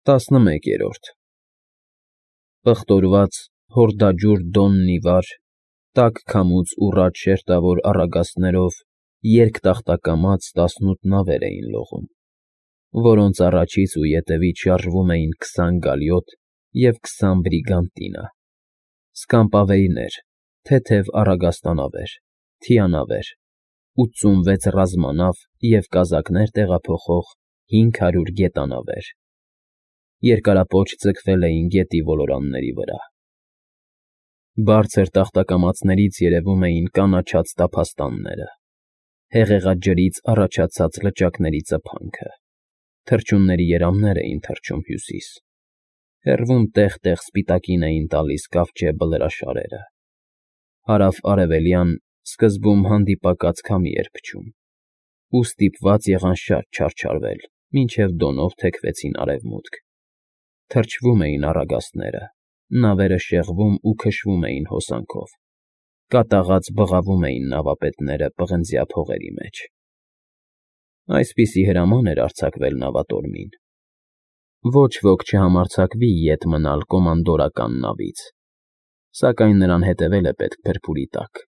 11 Պղտորված, հորդաջուր դոնն ի վար, տաք քամուց ուռած շերտավոր առագաստներով երկտախտակամած 18 նավեր էին լողում, որոնց առաջից ու ետևից շարժվում էին 20 գալյոտ և 20 բրիգանտինա, սկամպավեյներ, թեթև առագաստանավեր, թիանավեր, 86 ռազմանավ և կազակներ տեղափոխող 500 գետանավեր, երկարապոչ ձգվել էին գետի ոլորանների վրա։ Բարձր տախտակամածներից երևում էին կանաչած տափաստանները, հեղեղաջրից առաջացած լճակների ծփանքը, թռչունների երամներ էին թռչում հյուսիս, հեռվում տեղ-տեղ սպիտակին էին տալիս կավճե բլրաշարերը, հարավ֊արևելյան սկզբում հանդիպակաց քամի էր փչում, ու ստիպված եղան շատ չարչարվել, մինչև դոնով թեքվեցին արևմուտք, թրջվում էին առագաստները, նավերը շեղվում ու քշվում էին հոսանքով, կատաղած բղավում էին նավապետները պղնձյա փողերի մեջ։ Այսպիսի հրաման էր արձակվել նավատորմին։ Ոչ ոք չհամարձակվի ետ մնալ կոմանդորական նավից, սակայն նրան հետևել է պետք փրփուրի տակ։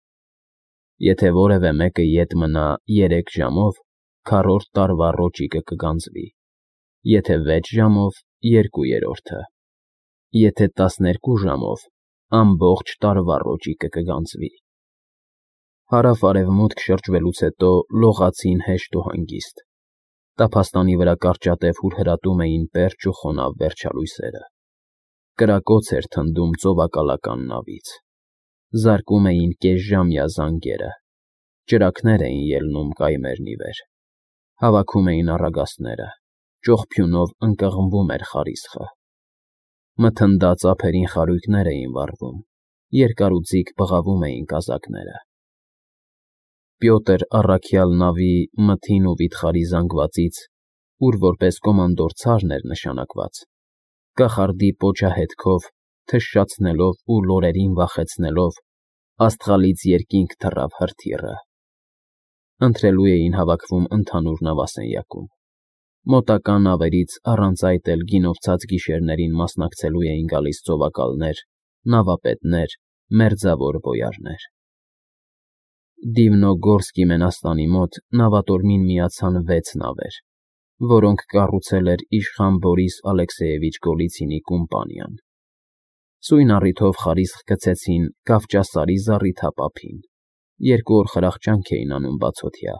Եթե որևէ մեկը ետ մնա 3 ժամով, քառորդ տարվա ռոճիկը կգանձվի, եթե 6 ժամով, 2/3, եթե 12 ժամով, ամբողջ տարվա ռոճիկը կգանձվի։ Հարավ֊արևմուտք շրջվելուց հետո լողացին հեշտ ու հանգիստ, տափաստանի վրա կարճատև հուրհրատում էին պերճ ու խոնավ վերջալույսերը, կրակոց էր թնդում ծովակալական նավից, զարկում էին կեսժամյա զանգերը, ճրագներ էին ելնում կայմերն ի վեր, հավաքում էին առագաստները, ճողփյունով ընկղմվում էր խարիսխը, մթնդած ափերին խարույկներ էին վառվում, երկարուձիգ բղավում էին կազակները։ Պյոտր առաքյալ նավի մթին ու վիթխարի զանգվածից, ուր որպես կոմանդոր ցարն էր նշանակված, կախարդի պոչահետքով, թշշացնելով ու լորերին վախեցնելով, աստղալից երկինք թռավ հրթիռը։ Ընթրելու էին հավաքվում ընդհանուր նավասենյակում։ Մոտակա նավերից առանց այդ էլ գինովցած գիշերներին մասնակցելու էին գալիս ծովակալներ, նավապետներ, մերձավոր բոյարներ։ Դիվնոգորսկի մենաստանի մոտ նավատորմին միացան 6 նավեր, որոնք կառուցել էր իշխան Բորիս Ալեքսեևիչ Գոլիցինի կումպանիան։ Սույն առիթով խարիսխ գցեցին Կավճասարի զառիթափ ափին, 2 օր խրախճանք էին անում բացօթյա,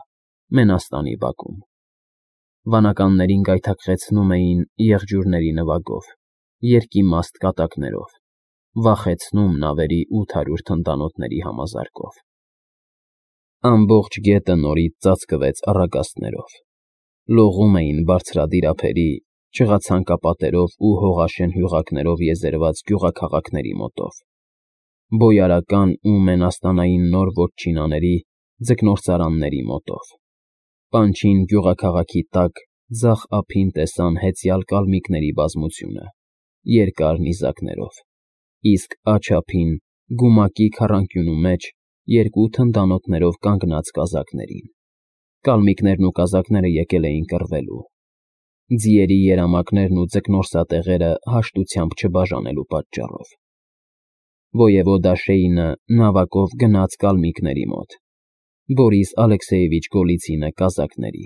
մենաստանի բակում։ Վանականներին գայթակղեցնում էին եղջյուրների նվագով, երկիմաստ կատակներով, վախեցնում նավերի 800 թնդանոթների համազարկով։ Ամբողջ գետը նորից ծածկվեց առագաստներով, լողում էին բարձրադիր ափերի, չղացանկապատերով ու հողաշեն հյուղակներով եզերված գյուղաքաղաքների մոտով, բոյարական ու մենաստանային նոր ոչչինաների, ձկնորսարանների մոտով, պանչին գյուղաքաղաքի տակ ձախ ափին տեսան հեծյալ կալմիկների բազմությունը, երկար նիզակներով, իսկ աջ ափին, գումակի քառանկյունու մեջ, 2 թնդանոթներով կանգնած կազակներին։ Կալմիկներն ու կազակները եկել էին կռվելու, ձիերի երամակներն ու ձկնորսատեղերը հաշտությամբ չբաժանելու պատճառով։ Ոևոդա Շեյնը նավակով գնաց կալմիկների մոտ, Բորիս Ալեքսեևիչ Գոլիցինը կազակների։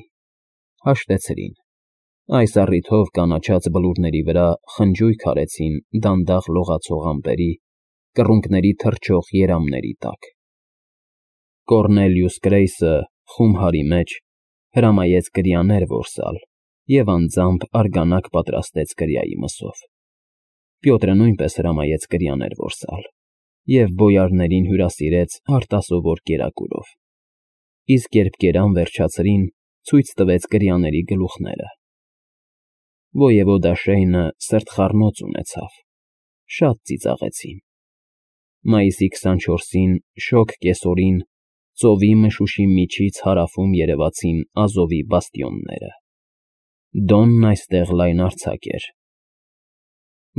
Հաշտեցրին։ Այս առիթով կանաչած բլուրների վրա խնջույք արեցին դանդաղ լողացող ամպերի, կռունկների թռչող երամների տակ։ Կոռնելիուս Գրեյսը, խումհարի մեջ, հրամայեց կրիաներ որսալ և անձամբ արգանակ պատրաստեց կրիայի մսով։ Պյոտրը նույնպես հրամայեց կրիաներ որսալ և բոյարներին հյուրասիրեց արտասովոր կերակուրով, իսկ երբ կերան վերջացրին, ցույց տվեց կրիաների գլուխները։ Ոևոդա Շեյնը սրտխառնոց ունեցավ, շատ ծիծաղեցին։ Մայիսի 24-ին շոգ կեսօրին ծովի մշուշի միջից հարավում երևացին Ազովի բաստիոնները։ Դոնն այստեղ լայնարձակ էր։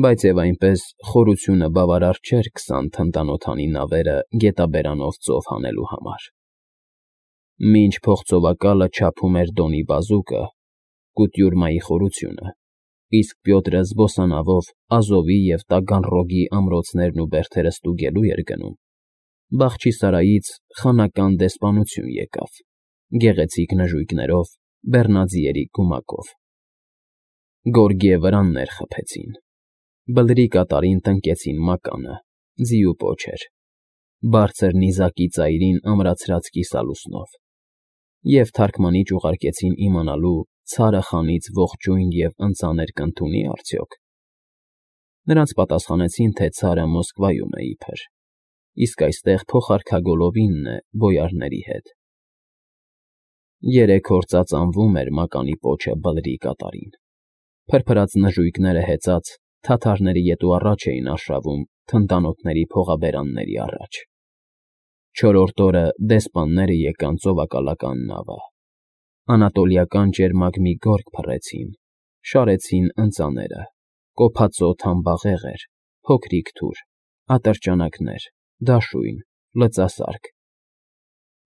Բայց և այնպես խորությունը բավարար չէր 20 թնդանոթանի նավերը գետաբերանով ծով հանելու համար։ Մինչ փողծովակալը չափում էր Դոնի բազուկը, կուտյուրմայի խորությունը, իսկ Պյոտրը զբոսանավով Ազովի և Տագանռոգի ամրոցներն ու բերդերը ստուգելու էր գնում, Բախչիսարայից խանական դեսպանություն եկավ, գեղեցիկ նժույգներով, բեռնաձիերի գումակով։ Գորգե վրաններ խփեցին, բլրի կատարին տնկեցին մականը, ձիու պոչեր, բարձր նիզակի ծայրին ամրացրած կիսալուսնով, և թարգմանիչ ուղարկեցին իմանալու ցարը խանից ողջույն և ընծաներ կընդունի արդյոք։ Նրանց պատասխանեցին, թե ցարը Մոսկվայում է իբր, իսկ այստեղ փոխարքագոլովինն է բոյարների հետ։ 3 օր ծածանվում էր մականի պոչը բլրի կատարին, փրփրած նժույգները հեծած, թաթարների ետ ու առաջ էին արշավում թնդանոթների փողաբերանների առաջ։ 4-րդ օրը դեսպանները եկան ծովակալական նավը, անատոլիական ճերմակ մի գորգ փռեցին, շարեցին ընծաները, կոփածո թամբաղեղեր, փոքրիկ թուր, ատրճանակներ, դաշույն, լծասարք,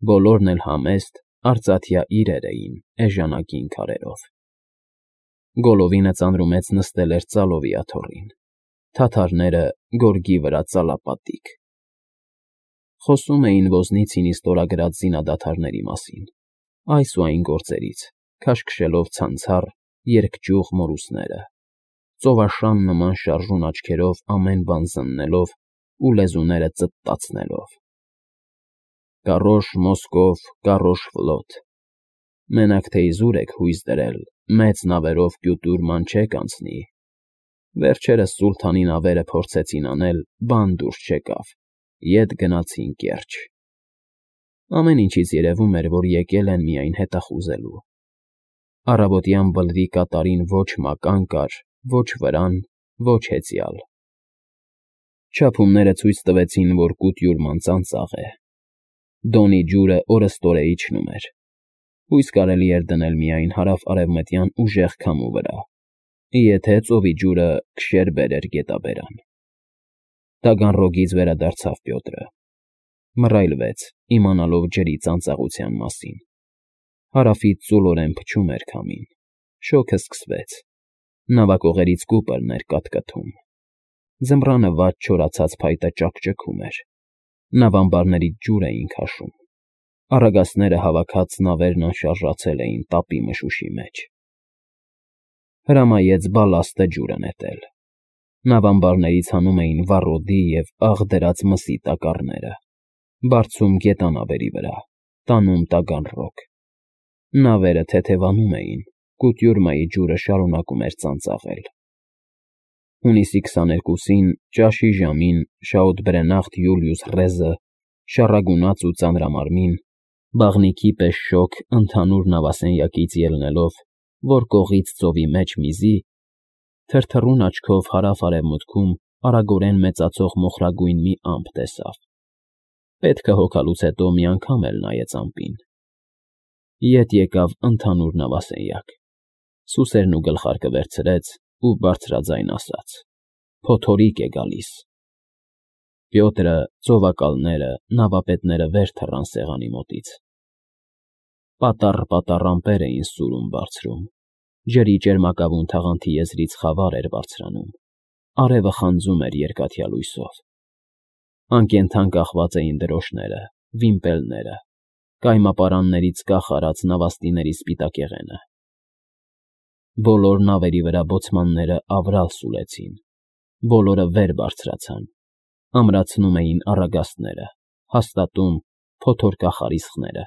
բոլորն էլ համեստ, արծաթյա իրեր էին էժանագին քարերով։ Գոլովինը ծանրումեց նստել էր ծալովի աթոռին, թաթարները գորգի վրա ծալապատիկ։ Խոսում էին Ոզնիցինի ստորագրած զինադադարների մասին, այս ու այն գործերից, քաշքշելով ցանցառ, երկճյուղ մորուսները, ծովաշան նման շարժուն աչքերով ամեն բան զննելով ու լեզուները ծտտացնելով։ Կառոշ Մոսկով, կառոշ Ֆլոտ, մենակ թե իզուր եք հույս դրել, մեծ նավերով Կյուտուր մանչեք անցնի։ Վերջերս սուլթանի նավերը փորձեցին անել, բան դուրս չեկավ, ետ գնացին կերճ։ Ամեն ինչից երևում էր, որ եկել են միայն հետախուզելու։ Առավոտյան բլրի կատարին ոչ մական կար, ոչ վրան, ոչ հեծյալ։ Չափումները ցույց տվեցին, որ կուտյուրման ծանծաղ է։ Դոնի ջուրը օրըստօրե իջնում էր։ Հույս կարելի էր դնել միայն հարավ֊արևմտյան ուժեղ քամու վրա, եթե ծովի ջուրը քշեր բերեր գետաբերան։ Տագանռոգից վերադարձավ Պյոտրը։ Մռայլվեց, իմանալով ջրի ծանծաղության մասին։ Հարավից ծուլորեն փչում էր քամին, շոգը սկսվեց, նավակողերից կուպրն էր կատկթում, ձմռանը վատ չորացած փայտը ճաքճքում էր, նավամբարներից ջուր էին քաշում, առագաստները հավաքած նավերն անշարժացել էին տապի մշուշի մեջ։ Հրամայեց բալաստը ջուրը նետել։ Նավամբարներից հանում էին վառոդի և աղ դրած մսի տակառները, բարձում գետանավերի վրա, տանում Տագանռոգ։ Նավերը թեթևանում էին, կուտյուրմայի ջուրը շարունակում էր ծանծաղել։ Հունիսի 22-ին, ճաշի ժամին, շաուտբրենախտ Յուլիուս Ռեզը, շառագունած ու ծանրամարմին, բաղնիքի պես շոգ ընդհանուր նավասենյակից ելնելով, որ կողից ծովի մեջ միզի, թրթռուն աչքով հարավ֊արևմուտքում արագորեն մեծացող մոխրագույն մի ամպ տեսավ։ Պետքը հոգալուց հետո մի անգամ էլ նայեց ամպին։ Ետ եկավ ընդհանուր նավասենյակ, սուսերն ու գլխարկը վերցրեց ու բարձրաձայն ասաց. «Փոթորիկ է գալիս»։ Պյոտրը, ծովակալները, նավապետները վեր թռան սեղանի մոտից։ Պատառ ամպեր էին սուրում բարձրում, ջրի ճերմակավուն թաղանթի եզրից խավար էր բարձրանում, արևը խանձում էր երկաթյա լույսով։ Անկենդան կախված էին դրոշները, վիմպելները, կայմապարաններից կախ արած նավաստիների սպիտակեղենը։ Բոլոր նավերի վրա բոցմանները ավրալ սուլեցին, բոլորը վեր բարձրացան, ամրացնում էին առագաստները, հաստատում փոթորկախարիսխները։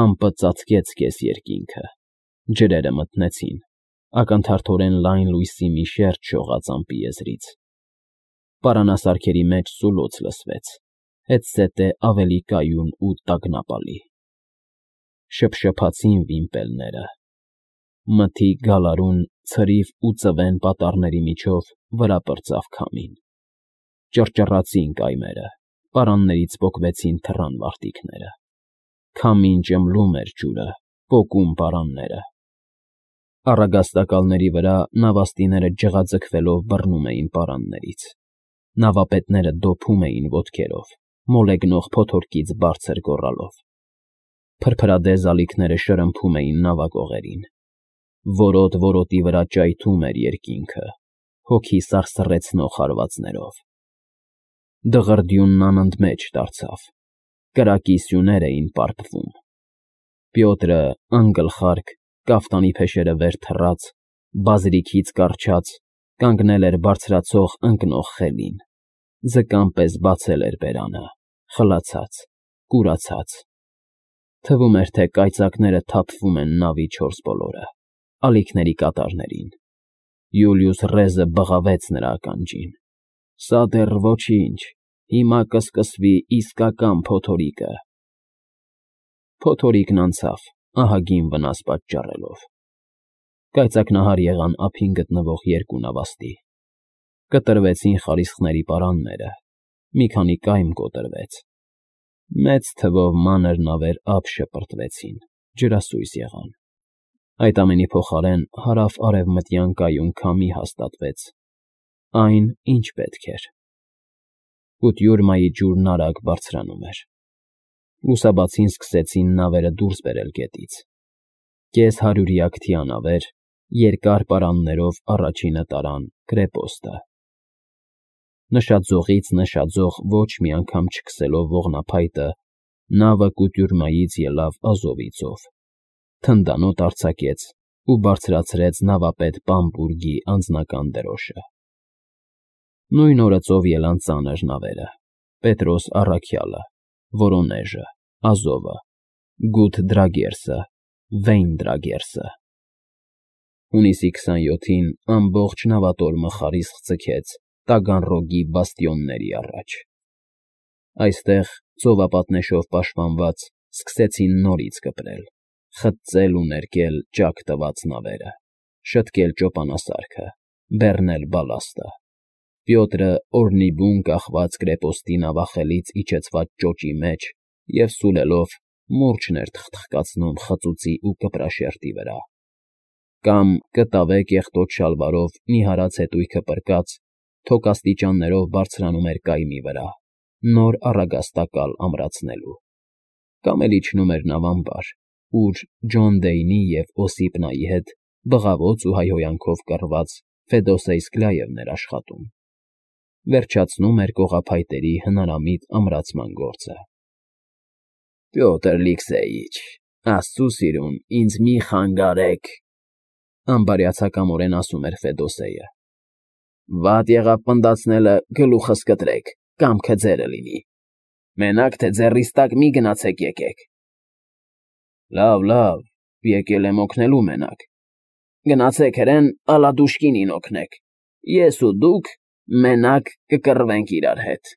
Ամպը ծածկեց կես երկինքը, ջրերը մթնեցին, ակնթարթորեն լայն լույսի մի շերջ շողաց ամպի եզրից։ Պարանասարքերի մեջ սուլոց լսվեց, հետզհետե ավելի կայուն ու տագնապալի։ Շփշփացին վիմպելները։ Մթի գալարուն, ցրիվ ու ծվեն պատառների միջով վրա պրծավ քամին։ Ճռճռացին կայմերը, պարաններից պոկվեցին թռան մարտիկները։ Քամին ճմլում էր ջուրը, պոկում պարանները։ Առագաստակալների վրա նավաստիները ջղաձգվելով բռնում էին պարաններից։ Նավապետները դոփում էին ոտքերով, մոլեգնող փոթորկից բարձր գոռալով։ Փրփրադեզ ալիքները շրմփում էին նավակողերին։ Որոտ-որոտի վրա ճայթում էր երկինքը, հոգի սարսռեցնող հարվածներով։ Դղրդյունն անընդմեջ դարձավ, կրակի սյուներ էին պարփվում։ Պյոտրը, անգլխարկ, կաֆտանի փեշերը վեր թռած, բազրիքից կառչած, կանգնել էր բարձրացող ընկնող խելին, ձկան պես բացել էր բերանը, խլացած, կուրացած։ Թվում էր, թե կայծակները թափվում են նավի չորս բոլորը, ալիքների կատարներին։ Յուլիուս Ռեզը բղավեց նրա ականջին. «Սա դեռ ոչինչ, հիմա կսկսվի իսկական փոթորիկը»։ Փոթորիկն անցավ, ահագին վնաս պատճառելով։ Կայծակնահար եղան ափին գտնվող երկու նավաստի։ Կտրվեցին խարիսխների պարանները, մի քանի կայմ կոտրվեց։ Մեծ թվով մանր նավեր ափ շպրտվեցին, ջրասույզ եղան։ Այդ ամենի փոխարեն հարավ֊արևմտյան կայուն քամի հաստատվեց, այն, ինչ պետք էր։ Կուտյուրմայի ջուրն արագ բարձրանում էր։ Լուսաբացին սկսեցին նավերը դուրս բերել գետից։ Կես հարյուրյակ թիանավեր, երկար պարաններով առաջինը տարան կրեպոստը։ Նշաձողից նշաձող ոչ մի անգամ չքսելով ողնափայտը, նավը Կուտյուրմայից ելավ Ազովի ծով, թնդանոթ արձակեց ու բարձրացրեց նավապետ Բամբուրգի անձնական դրոշը։ Նույն օրը ծով ելան ծանր նավերը. Պետրոս առաքյալը, Վորոնեժը, Ազովը, Գութ Դրագերսը, Վեյն Դրագերսը։ Հունիսի 27-ին ամբողջ նավատորմը խարիսխ ձգեց Տագանրոգի բաստիոնների առաջ։ Այստեղ, ծովապատնեշով պաշտպանված, սկսեցին նորից կպրել, խծել ու ներկել ճաք տված նավերը, շտկել ճոպանասարքը, բեռնել բալաստը։ Պյոտրը օրնիբուն կախված կրեպոստի նավախելից իջեցված ճոճի մեջ և սուլելով մուրճն էր թխթխկացնում խծուծի ու կպրաշերտի վրա։ Կամ կտավե կեղտոտ շալվարով մի հարած հետույքը պրկած, թոկաստիճաններով բարձրանում էր կայմի վրա, նոր առագաստակալ ամրացնելու։ Կամ էլ իջնում էր նավամբար, ուր Ջոն Դեյնի և Օսիպնայի հետ բղավոց ու հայհոյանքով կռված Ֆեդոսեյ Սկլաևն էր աշխատում։ Վերջացնում էր կողափայտերի հնարամիտ ամրացման գործը։ «Պյոտր Լիքսեիչ, աստծու սիրուն, ինձ մի խանգարեք», անբարյացակամորեն ասում էր Ֆեդոսեյը։ «Վատ եղավ պնդացնելը, գլուխս կտրեք, կամքը ձերը լինի։ Մենակ թե ձեռիս տակ մի գնացեք եկեք»։ Լավ, եկել եմ օգնելու մենակ։ Գնացեք հրեն Ալադուշկինին օգնեք։ Ես ու դուք մենակ կկռվենք իրար հետ։